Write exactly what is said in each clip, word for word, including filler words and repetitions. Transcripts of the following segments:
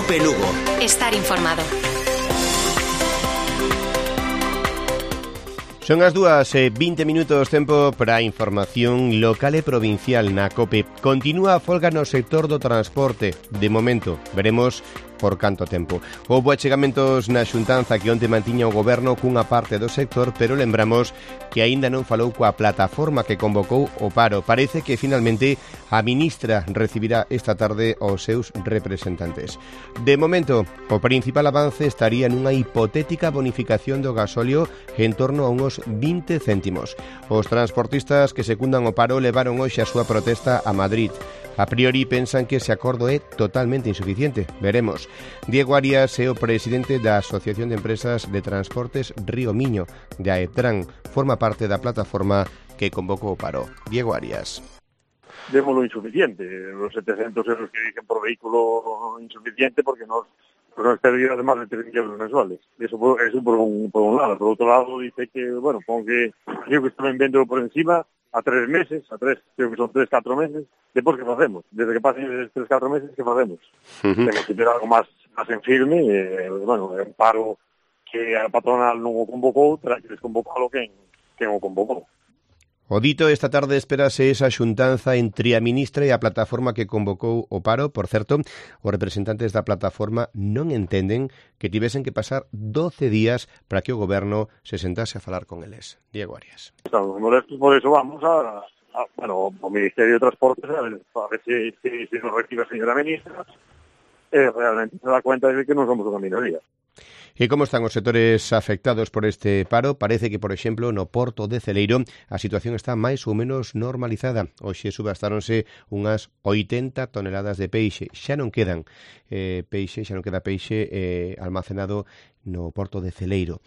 COPE Lugo. Estar informado. Son as dúas e vinte minutos, tempo para a información local e provincial na COPE. Continúa a folga no sector do transporte. De momento, veremos por canto tempo. Houbo achegamentos na xuntanza que onte mantiña o goberno cunha parte do sector, pero lembramos que aínda non falou coa plataforma que convocou o paro. Parece que finalmente a ministra recibirá esta tarde os seus representantes. De momento, o principal avance estaría nunha hipotética bonificación do gasóleo en torno a uns vinte céntimos. Os transportistas que secundan o paro levaron hoxe a súa protesta a Madrid. A priori pensan que ese acordo é totalmente insuficiente. Veremos. Diego Arias é o presidente da Asociación de Empresas de Transportes Río Miño, de AETRAN. Forma parte da plataforma que convocou o paro. Diego Arias. Démoslo insuficiente. Los setecientos euros que dicen por vehículo insuficiente porque nos, pues nos perdería de más de tres mil euros mensuales. Eso, eso por, un, por un lado. Por otro lado dice que, bueno, pongo que creo que están vendiendo por encima a tres meses, a tres, creo que son tres, cuatro meses. Despois, que facemos? Desde que pasen esos tres, cuatro meses, que facemos? Uh -huh. Temos que ter algo máis, máis en firme, eh, bueno, é un paro que a patronal non o convocou, terá que desconvocalo quen, quen o convocou. O dito, esta tarde espérase esa xuntanza entre a ministra e a plataforma que convocou o paro. Por certo, os representantes da plataforma non entenden que tivesen que pasar doce días para que o goberno se sentase a falar con eles. Diego Arias. Estamos molestos, por eso vamos a, a bueno, ao Ministerio de Transportes a ver, a ver si, si, si nos recibe a señora ministra eh, realmente se dá cuenta de que non somos unha minoría. E como están os sectores afectados por este paro? Parece que, por exemplo, no Porto de Celeiro a situación está máis ou menos normalizada. Hoxe subastáronse unhas oitenta toneladas de peixe. Xa non quedan eh, peixe, xa non queda peixe eh, almacenado no Porto de Celeiro,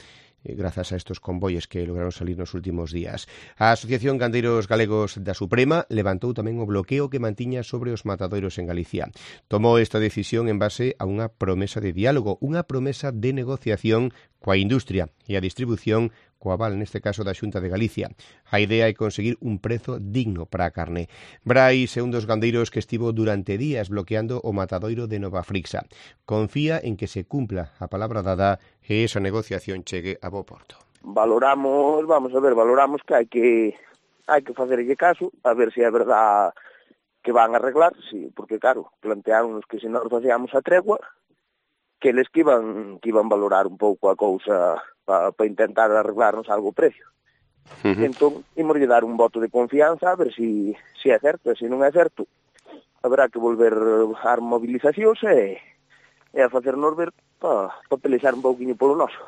grazas a estos convoies que lograron salir nos últimos días. A Asociación Gandeiros Galegos da Suprema levantou tamén o bloqueo que mantiña sobre os matadoiros en Galicia. Tomou esta decisión en base a unha promesa de diálogo, unha promesa de negociación coa industria e a distribución coa aval, neste caso, da Xunta de Galicia. A idea é conseguir un prezo digno para a carne. Brais é un dos gandeiros que estivo durante días bloqueando o matadoiro de Nova Frixa. Confía en que se cumpla a palabra dada e esa negociación chegue a bo porto. Valoramos, vamos a ver, valoramos que hai que hai que facerlle caso, a ver se é verdad que van a arreglar, sí, porque claro, planteáronos que se nós facíamos a tregua, que eles que iban, que iban valorar un pouco a cousa para pa intentar arreglarnos algo o precio. Uh -huh. Entón, imos dar un voto de confianza a ver se si, si é certo, e se non é certo, haberá que volver a mobilizacións e, e a facernos ver para pa pelexar un pouquinho polo noso.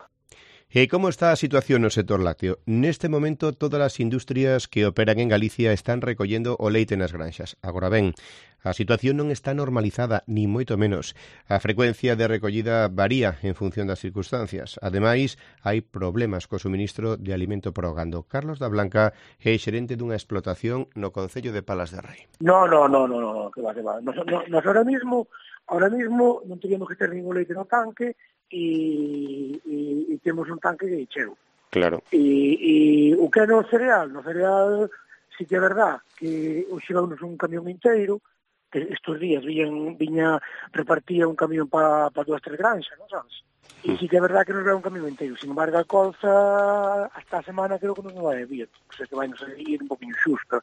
E como está a situación no sector lácteo? Neste momento, todas as industrias que operan en Galicia están recollendo o leite nas granxas. Agora ben, a situación non está normalizada, ni moito menos. A frecuencia de recollida varía en función das circunstancias. Ademais, hai problemas co suministro de alimento para o gando. Carlos da Blanca é xerente dunha explotación no concello de Palas de Rei. No, no, no, no, no, que va, que va. Nos, no, nos ahora mismo, ahora mismo non teríamos que ter ningún leite no tanque, e, e, e temos un tanque cheo. Claro. E, e o que é no cereal? No cereal, si que é verdad que hoxe vamos un camión inteiro, que estes días viñan, viña, repartía un camión para pa dúas, tres granxas, non sabes? E si que é verdad que nos ve un camión inteiro. Sin embargo, a colza, hasta a semana creo que non nos vai a vir. O sea, que vai nos a ir un poquinho xusta.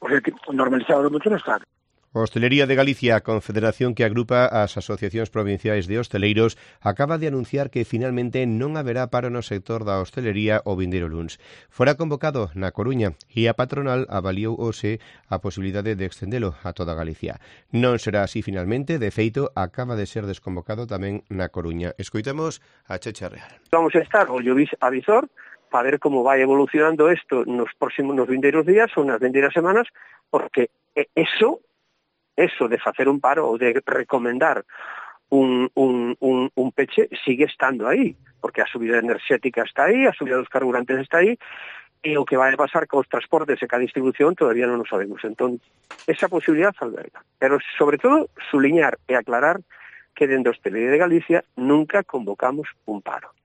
O sea, que normalizado moito non está. Hostelería de Galicia, a confederación que agrupa as asociacións provinciais de hosteleiros, acaba de anunciar que finalmente non haberá paro no sector da hostelería o vindeiro luns. Fora convocado na Coruña e a patronal avaliou hoxe a posibilidade de extendelo a toda Galicia. Non será así finalmente, de feito, acaba de ser desconvocado tamén na Coruña. Escoitemos a Checha Real. Vamos a estar ollo avisor para ver como vai evolucionando isto nos próximos nos vindeiros días ou nas vindeiras semanas, porque eso Eso de facer un paro ou de recomendar un, un, un, un peche sigue estando aí, porque a subida enerxética está aí, a subida dos carburantes está aí, e o que vai pasar cos transportes e ca distribución todavía non o sabemos. Entón, esa posibilidad alberga. Pero, sobre todo, suliñar e aclarar que dentro da hostelería de Galicia nunca convocamos un paro.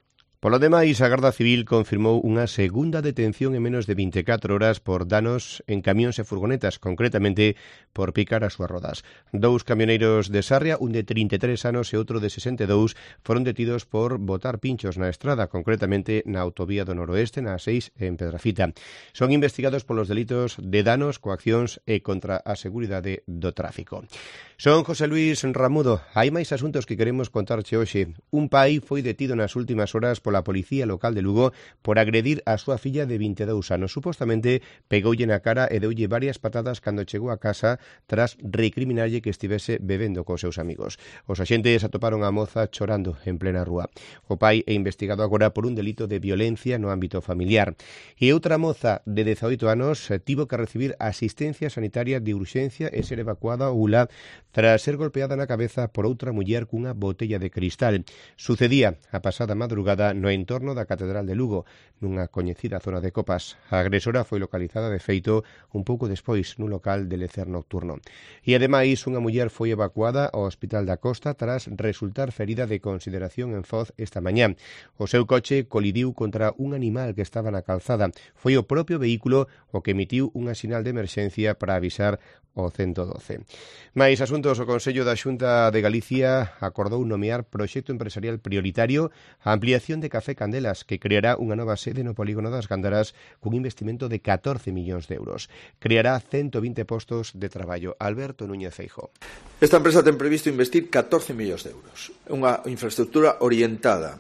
Polo demais, a Garda Civil confirmou unha segunda detención en menos de vinte e catro horas por danos en camións e furgonetas, concretamente por picar as súas rodas. Dous camioneiros de Sarria, un de trinta e tres anos e outro de sesenta e dous, foron detidos por botar pinchos na estrada, concretamente na autovía do Noroeste, na A seis en Pedrafita. Son investigados polos delitos de danos, coaccións e contra a seguridade do tráfico. Son José Luis Ramudo. Hai máis asuntos que queremos contarche hoxe. Un pai foi detido nas últimas horas pola Policía Local de Lugo por agredir a súa filla de vinte e dous anos. Supostamente pegoulle na cara e deulle varias patadas cando chegou a casa tras recriminarlle que estivese bebendo cos seus amigos. Os axentes atoparon a moza chorando en plena rúa. O pai é investigado agora por un delito de violencia no ámbito familiar. E outra moza de dezaoito anos tivo que recibir asistencia sanitaria de urxencia e ser evacuada ao U L A tras ser golpeada na cabeza por outra muller cunha botella de cristal. Sucedía a pasada madrugada no entorno da Catedral de Lugo, nunha coñecida zona de copas. A agresora foi localizada de feito un pouco despois nun local de lecer nocturno. E ademais, unha muller foi evacuada ao Hospital da Costa tras resultar ferida de consideración en Foz esta mañá. O seu coche colidiu contra un animal que estaba na calzada. Foi o propio vehículo o que emitiu unha sinal de emerxencia para avisar o ciento doce. Mais asuntos, o Consello da Xunta de Galicia acordou nomear proxecto empresarial prioritario a ampliación de Café Candelas, que creará unha nova sede no polígono das Gándaras cun investimento de catorce millóns de euros. Creará ciento vinte postos de traballo. Alberto Núñez Feijóo. Esta empresa ten previsto investir catorce millóns de euros. Unha infraestructura orientada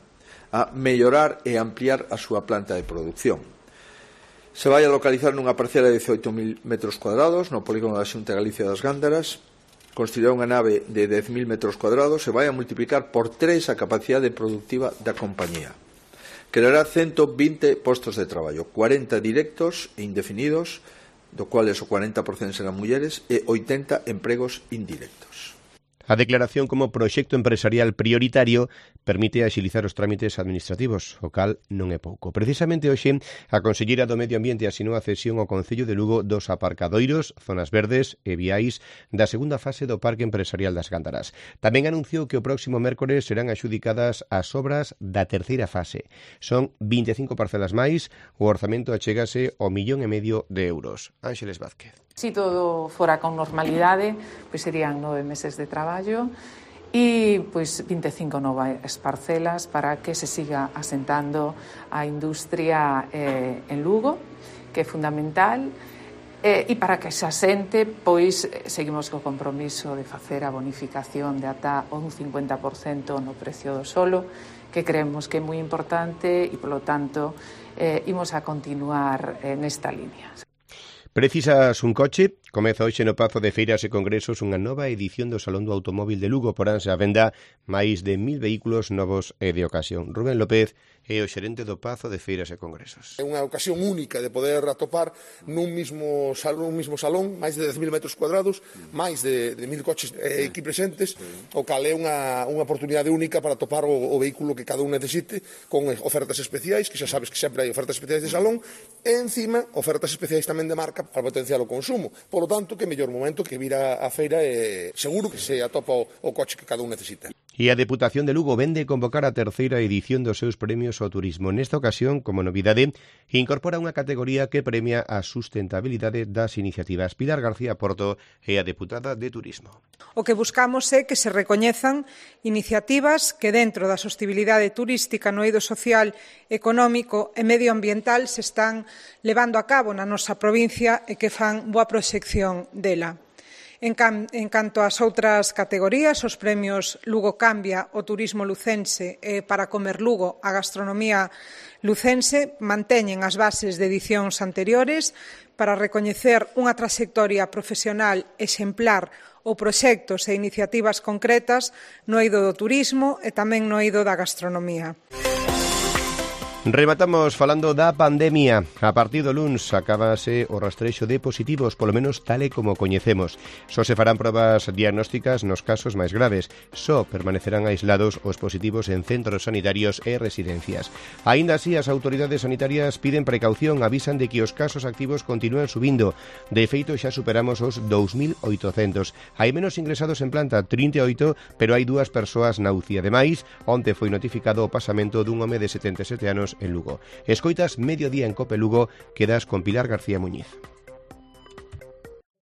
a mellorar e ampliar a súa planta de produción. Se vai a localizar nunha parcela de dezaoito mil metros cuadrados no polígono da Xunta de Galicia das Gándaras, construirá unha nave de dez mil metros cuadrados e vai a multiplicar por tres a capacidade productiva da compañía. Creará ciento vinte postos de traballo, cuarenta directos e indefinidos, do cuales o cuarenta por cento serán mulleres, e oitenta empregos indirectos. A declaración como proxecto empresarial prioritario permite axilizar os trámites administrativos, o cal non é pouco. Precisamente hoxe, a Conselleira do Medio Ambiente asinou a cesión ao Concello de Lugo dos aparcadoiros, zonas verdes e viais da segunda fase do Parque Empresarial das Gándaras. Tamén anunciou que o próximo mércores serán axudicadas as obras da terceira fase. Son vinte e cinco parcelas máis, o orzamento achégase ao millón e medio de euros. Ángeles Vázquez. Si todo fora con normalidade, pois serían nove meses de traballo e pois vinte e cinco novas parcelas para que se siga asentando a industria eh, en Lugo, que é fundamental, eh, e para que se asente, pois seguimos co compromiso de facer a bonificación de ata un cincuenta por cento no precio do solo, que creemos que é moi importante e, polo tanto, eh, imos a continuar eh, nesta línea. Precisas un coche? Comeza hoxe no Pazo de Feiras e Congresos unha nova edición do Salón do Automóvil de Lugo. Poránse á venda máis de mil vehículos novos e de ocasión. Rubén López é o xerente do Pazo de Feiras e Congresos. É unha ocasión única de poder atopar nun mismo salón, un mismo salón máis de dez mil metros cuadrados, máis de, de mil coches eh, aquí presentes, o cal é unha, unha oportunidade única para atopar o, o vehículo que cada un necesite, con ofertas especiais, que xa sabes que sempre hai ofertas especiais de salón, e encima ofertas especiais tamén de marca para potenciar o consumo. Por lo tanto, que mellor momento que vir a, a feira e seguro que se atopa o, o coche que cada un necesita. E a Deputación de Lugo vende convocar a terceira edición dos seus premios ao turismo. Nesta ocasión, como novidade, incorpora unha categoría que premia a sustentabilidade das iniciativas. Pilar García Porto é a deputada de Turismo. O que buscamos é que se recoñezan iniciativas que dentro da sostenibilidade turística no eido social, económico e medioambiental se están levando a cabo na nosa provincia e que fan boa proxección dela. En, can, en canto ás outras categorías, os premios Lugo Cambia, o turismo lucense e para comer Lugo, a gastronomía lucense, manteñen as bases de edicións anteriores para recoñecer unha trayectoria profesional exemplar ou proxectos e iniciativas concretas no eido do turismo e tamén no eido da gastronomía. E Rematamos falando da pandemia. A partir do luns acabase o rastrexo de positivos, polo menos tal e como coñecemos. Só se farán probas diagnósticas nos casos máis graves. Só permanecerán aislados os positivos en centros sanitarios e residencias. Aínda así, as autoridades sanitarias piden precaución, avisan de que os casos activos continúan subindo. De feito, xa superamos os dous mil oitocentos. Hai menos ingresados en planta, trinta e oito, pero hai dúas persoas na U C I. Ademais, onte foi notificado o pasamento dun home de setenta e sete anos en Lugo. Escoitas Mediodía en Cope Lugo, quedas con Pilar García Muñiz.